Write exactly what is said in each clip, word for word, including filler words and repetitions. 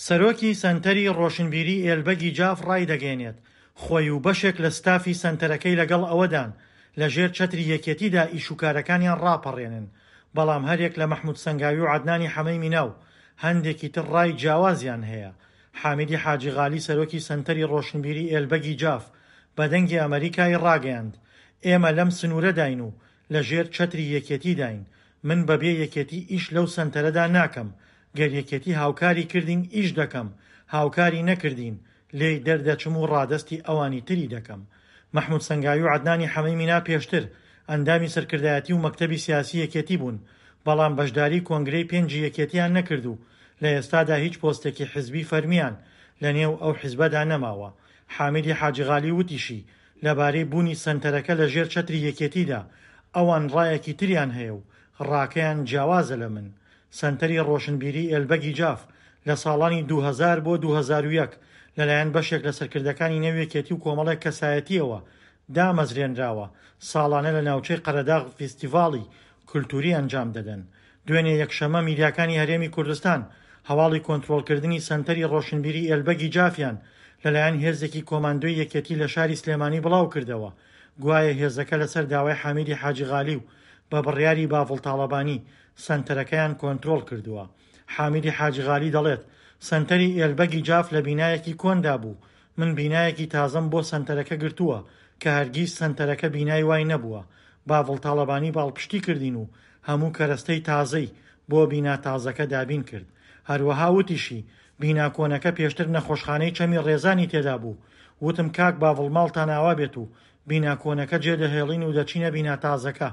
سەرۆکی سەنتەری ڕۆشنبیری ئێلبەگی جاف ڕایدەگەیەنێت، خۆی و بەشێک لە ستافی سەنتەرەکەی لەگەڵ ئەوەدان لەژێر چەتری یەکێتیدا ئیش و کارەکانیان ڕاپەڕێنن، بەڵام هەریەک لە مەحمود سەنگاوی و عەدنانی حەمەی مینا و هەندێکی تر ڕای جیاوازیان هەیە. حامیدی حاجی غالی سەرۆکی سەنتەری ڕۆشنبیری ئێلبەگی جاف بە دەنگی ئەمەریکای ڕاگەیاند، ئێمە لەم سنوورەداین و لەژێر چەتری یەکێتیداین، من بەبێ یەکێتی ئیش لەو سەنتەرەدا ناکەم، گەر یەکێتی هاوکاری کردین ئیش دەکەم، هاوکاری نەکردین لێی دەردەچم و ڕادەستی ئەوانی تری دەکەم. مەحمود سەنگاوی و عەدنانی حەمەی مینا پێشتر ئەندامی سەرکردایەتی و مەکتەبی سیاسی یەکێتی بوون، بەڵام بەشداری کۆنگرەی پێنجی یەکێتیان نەکرد و لە ئێستادا هیچ پۆستێکی حزبی فەرمیان لەنێو ئەو حزبەدا نەماوە. حامیدی حاجی غالی وتیشی، لەبارەی بوونی سەنتەرەکە لەژێر چەتری یەکێتیدا، ئەوان ڕایەکی تریان هەیە و ڕاکەیان جیاوازە لە من. سەنتەری ڕۆشنبیری ئێلبەگی جاف لە ساڵانی دوو هەزار بۆ دوو هەزار و یەک لەلایەن بەشێک لە سەرکردەکانی نێو یەکێتی و کۆمەڵێک کەسایەتییەوە دامەزرێنراوە، ساڵانە لە ناوچەی قەرەداغ فیستیڤاڵی کولتووری ئەنجام دەدەن. دوێنێ یەکشەممە میدیاکانی هەرێمی کوردستان هەواڵی کۆنترۆڵکردنی سەنتەری ڕۆشنبیری ئێلبەگی جافیان لەلایەن هێزێکی کۆماندۆی یەکێتی لە شاری سلێمانی بڵاوکردەوە، گوایە هێزەکە لەسەر داوای حامیدی حاجی غالی و بە بڕیاری باڤڵ تاڵەبانی سەنتەرەکەیان کۆنترۆڵ کردووە. حامیدی حاجی غالی دەڵێت، سەنتەری ئێلبەگی جاف لە بینایەکی کۆندا بوو، من بینایەکی تازەم بۆ سەنتەرەکە گرتووە کە هەرگیز سەنتەرەکە بینای وای نەبووە. باڤڵ تاڵەبانی پاڵپشتی کردین و هەموو کەرەستەی تازەی بۆ بینا تازەکە دابین کرد. هەروەها وتیشی، بینا کۆنەکە پێشتر نەخۆشخانەی چەمی ڕێزانی تێدا بوو، وتم کاک باڤڵ ماڵتان ئاوا بێت و بینا کۆنەکە جێدەهێڵین و دەچینە بینا تازەکە.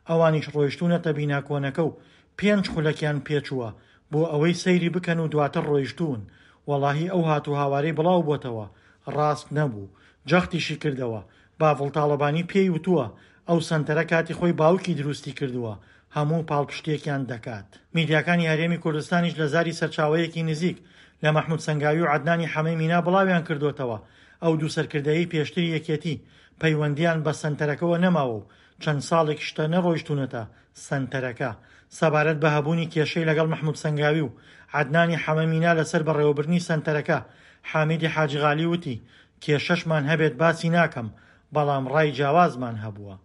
ئەوانیش ڕۆیشتوونەتە بینا کۆنەکە و پێنج خولەکیان پێچووە بۆ ئەوەی سەیری بکەن و دواتر ڕۆیشتوون. وەڵاهی ئەو هات و هاوارەی بڵاو بۆتەوە ڕاست نەبوو. جەختیشی کردەوە، باڤڵ تاڵەبانی پێی وتووە ئەو سەنتەرە کاتی خۆی باوکی دروستی کردووە، هەموو پاڵپشتێکیان دەکات. میدیاکانی هەرێمی کوردستانیش لە زاری سەرچاوەیەکی نزیک لە مەحمود سەنگاوی و عەدنانی حەمەی مینا بڵاویان کردوتەوە ئەو دوو سەرکردەیەی پێشتری یەکێتی پەیوەندیان بە سەنتەرەکەوە نەماوە و چەند ساڵێک شتە نەڕۆیشتوونەتە سەنتەرەکە. سەبارەت بە هەبوونی کێشەی لەگەڵ مەحمود سەنگاوی و عەدنانی حەمە مینا لەسەر بەڕێوەبردنی سەنتەرەکە، حامیدی حاجی غالی وتی، کێشەشمان هەبێت باسی ناکەم، بەڵام ڕای جیاوازمان هەبووە.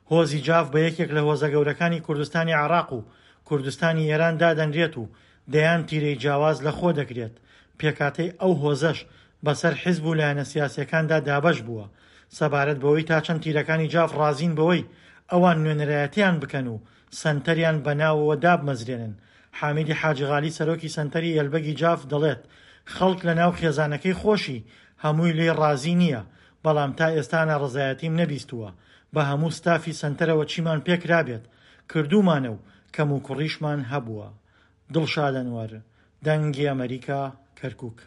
هۆزی جاف بە یەکێک لە هۆزە گەورەکانی کوردستانی عێراق و کوردستانی ئێران دادەنرێت و دەیان تیرەی جیاواز لەخۆ دەگرێت. پێکهاتەی ئەو هۆزەش بەسەر حیزب و لایەنە سیاسیەکاندا دابەش بووە. سەبارەت بەوەی تا چەند تیرەکانی جاف ڕازین بەوەی ئەوان نوێنەرایەتیان بکەن و سەنتەریان بەناوەوە دابمەزرێنن، حامیدی حاجی غالی سەرۆکی سەنتەری ئێلبەگی جاف دەڵێت، خەڵک لەناو خێزانەکەی خۆشی هەمووی لێی ڕازی نییە، بەڵام تا ئێستا ناڕەزایەتیم نەبیستووە. بە هەموو ستافی سەنتەرەوە چیمان پێکرابێت کردوومانە و کەم و کوڕیشمان هەبووە. دڵشاد ئەنوەر، دەنگی ئەمەریکا، کەرکوک.